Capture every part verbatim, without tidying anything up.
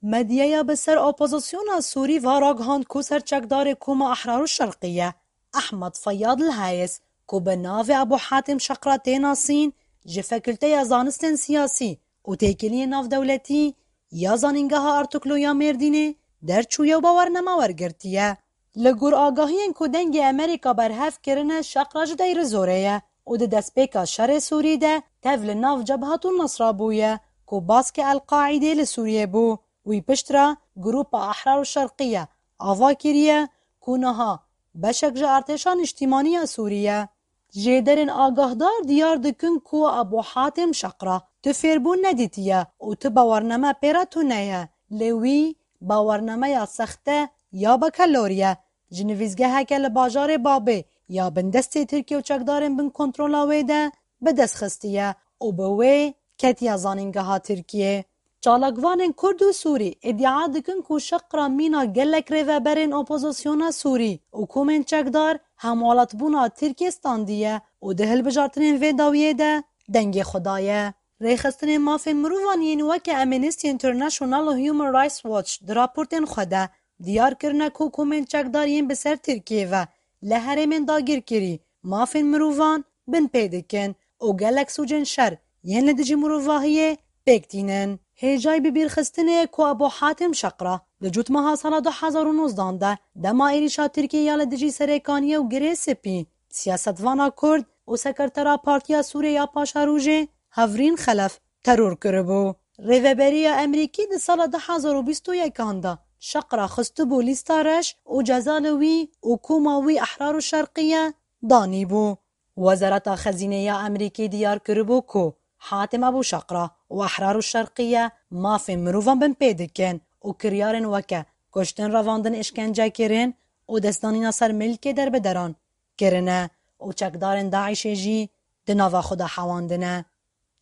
Medyaya bi ser opozisyona Sûrî va ragihand ku serçekdarê Koma Ehrar û Şerqî ye, Ehmed Feyyad El Hayes, ku bi navê Ebû Hatim Şeqra tê nasîn, ji Fakulteya Zanistên Siyasî û Têkiliyên Navdewletî ya Zanîngeha Artuklu ya Mêrdînê derçûye û bawername wergirtiye. Li gor agahiyên ku Dengê Amerîka berhev kirine, Şeqra ji Deyrizorê ye û di destpêka şerê Sûrî de tev li nav Cebhat û Nasra bûye, ku baskê El-Qaîdê li Sûriyê bû. Wî piştre Grupa Ehrar û Şerqî ye ava kiriye ku niha beşek ji artêşa niştîmanî ya Sûrî ye. Jêderên agahdar diyar dikin ku Ebû Hatim Şeqra tu fêrbûn nedîtiye û tu bawername pê re tune ye. Lê wî bawernameya sexte ya bekelorî ye. Ji nivîsgeheke li bajarê Babê ya bindestê Tirkiye û çekdarên bin kontrola wê de bi dest xistiye û bi wê ketiye zanîngeha Tirkiyê. Çalakvanên Kurd û Sûrî îdia dikin ku Şeqra mîna gelek rêveberên opozisyona Sûrî û komên çekdar hemwelatbûna Tirkiyê standiye û di hilbijartinên vê dawiyê de dengê xwe daye. Rêxistinên mafên mirovan yên weke Amnesty International û Human Rights Watch di raportên xwe de diyar kirine ku komên çekdar yên bi ser Tirkiyê ve li herêmên dagirkirî mafên mirovan bin pê dikin û gelek sûcên şer yên li dijî mirovahiyê pêk tînin. Hêjayî bibîrxistinê ye ku Ebû Hatim Şeqra di cotmeha sala du hezar û nozdan de dema êrîşa Tirkiyê ya li dijî Serêkaniyê û Girê Spî, siyasetvana Kurd û sekretera Partiya Sûrê ya Paşerojê Hevrîn Xelef teror kiribû. Rêveberiya Amerîkî di sala du hezar û bîst û yekan de Şeqra xistibû lîsta reş û ceza li wî û koma wî Ehrar û Şerqiye danîbû. Wezareta Xezînê ya Amerîkî diyar kiribû ku Hatim Ebû Şeqra û Ehrar û Şerqiye mafên mirovan bin pê dikin û kiryarên weke kuştin, revandin, îşkencekirin û destdanîna ser milkê derbederan kirine û çekdarên DAIŞê jî di nava xwe de hewandine.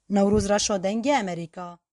Newroz Reşo, Dengê Amerîka.